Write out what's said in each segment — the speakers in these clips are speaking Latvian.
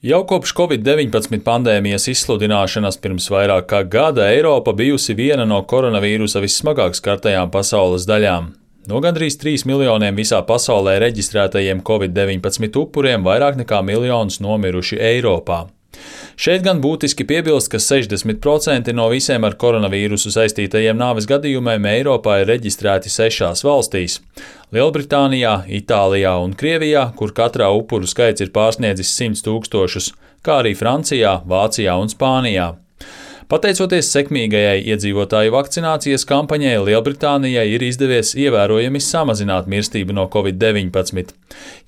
Jau kopš Covid-19 pandēmijas izsludināšanas pirms vairāk kā gada Eiropa bijusi viena no koronavīrusa vissmagāk skartajām pasaules daļām. No gandrīz 3 miljoniem visā pasaulē reģistrētajiem Covid-19 upuriem vairāk nekā miljons nomiruši Eiropā. Šeit gan būtiski piebilst, ka 60% no visiem ar koronavīrusu saistītajiem nāves gadījumiem Eiropā ir reģistrēti 6 valstīs - Lielbritānijā, Itālijā un Krievijā, kur katrā upuru skaits ir pārsniedzis 100 000, kā arī Francijā, Vācijā un Spānijā. Pateicoties sekmīgajai iedzīvotāju vakcinācijas kampaņai, Lielbritānijai ir izdevies ievērojami samazināt mirstību no Covid-19.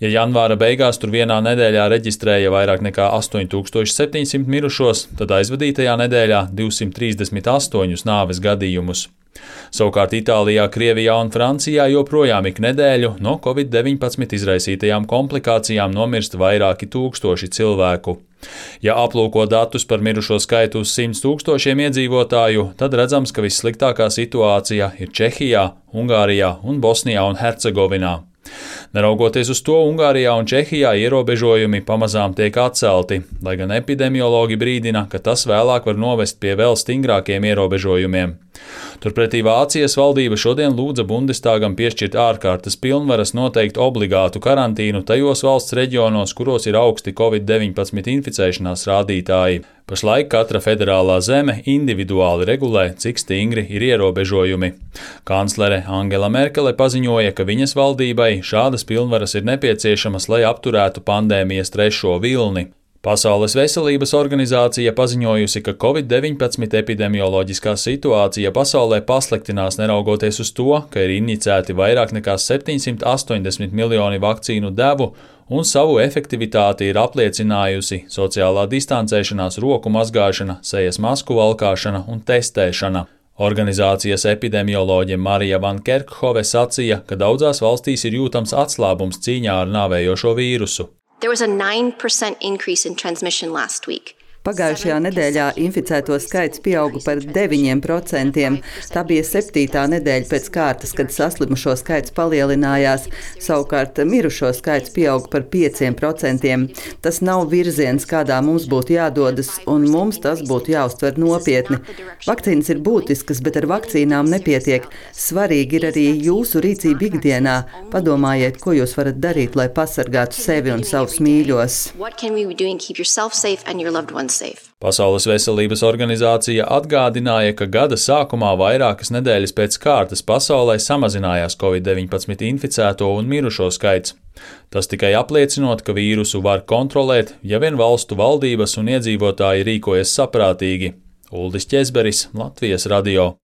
Ja janvāra beigās tur vienā nedēļā reģistrēja vairāk nekā 8700 mirušos, tad aizvadītajā nedēļā 238 nāves gadījumus. Savukārt Itālijā, Krievijā un Francijā joprojām ik nedēļu no Covid-19 izraisītajām komplikācijām nomirst vairāki tūkstoši cilvēku. Ja aplūko datus par mirušo skaitu uz 100 000 iedzīvotāju, tad redzams, ka vissliktākā situācija ir Čehijā, Ungārijā un Bosnijā un Hercegovinā. Neraugoties uz to, Ungārijā un Čehijā ierobežojumi pamazām tiek atcelti, lai gan epidemiologi brīdina, ka tas vēlāk var novest pie vēl stingrākiem ierobežojumiem. Turpretī Vācijas valdība šodien lūdza Bundestāgam piešķirt ārkārtas pilnvaras noteikt obligātu karantīnu tajos valsts reģionos, kuros ir augsti Covid-19 inficēšanās rādītāji. Pašlaik katra federālā zeme individuāli regulē, cik stingri ir ierobežojumi. Kanclere Angela Merkele paziņoja, ka viņas valdībai šādas pilnvaras ir nepieciešamas, lai apturētu pandēmijas 3. vilni. Pasaules veselības organizācija paziņojusi, ka Covid-19 epidemioloģiskā situācija pasaulē pasliktinās neraugoties uz to, ka ir injicēti vairāk nekā 780 miljoni vakcīnu devu un savu efektivitāti ir apliecinājusi sociālā distancēšanās, roku mazgāšana, sejas masku valkāšana un testēšana. Organizācijas epidemioloģe Marija Van Kerkhove sacīja, ka daudzās valstīs ir jūtams atslābums cīņā ar nāvējošo vīrusu. There was a 9% increase in transmission last week. Pagājušajā nedēļā inficēto skaits pieauga par 9%. Tā bija 7. nedēļa pēc kārtas, kad saslimušo skaits palielinājās. Savukārt mirušo skaits pieauga par 5%. Tas nav virziens, kādā mums būtu jādodas, un mums tas būtu jāuztver nopietni. Vakcīnas ir būtiskas, bet ar vakcīnām nepietiek. Svarīgi ir arī jūsu rīcība ikdienā. Padomājiet, ko jūs varat darīt, lai pasargātu sevi un savus mīļos. Pasaules veselības organizācija atgādināja, ka gada sākumā vairākas nedēļas pēc kārtas pasaulē samazinājās Covid-19 inficēto un mirušo skaits. Tas tikai apliecinot, ka vīrusu var kontrolēt, ja vien valstu valdības un iedzīvotāji rīkojas saprātīgi. Uldis Ķezberis, Latvijas radio.